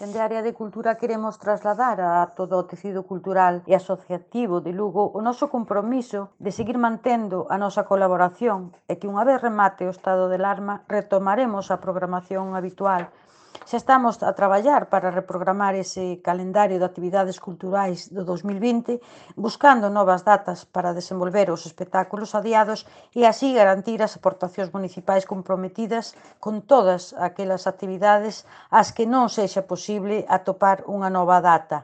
Dende a área de cultura queremos trasladar a todo o tecido cultural e asociativo de Lugo o noso compromiso de seguir mantendo a nosa colaboración e que unha vez remate o estado de alarma retomaremos a programación habitual. Xa estamos a traballar para reprogramar ese calendario de actividades culturais do 2020, buscando novas datas para desenvolver os espectáculos adiados e así garantir as aportacións municipais comprometidas con todas aquelas actividades ás que non sexa posible atopar unha nova data.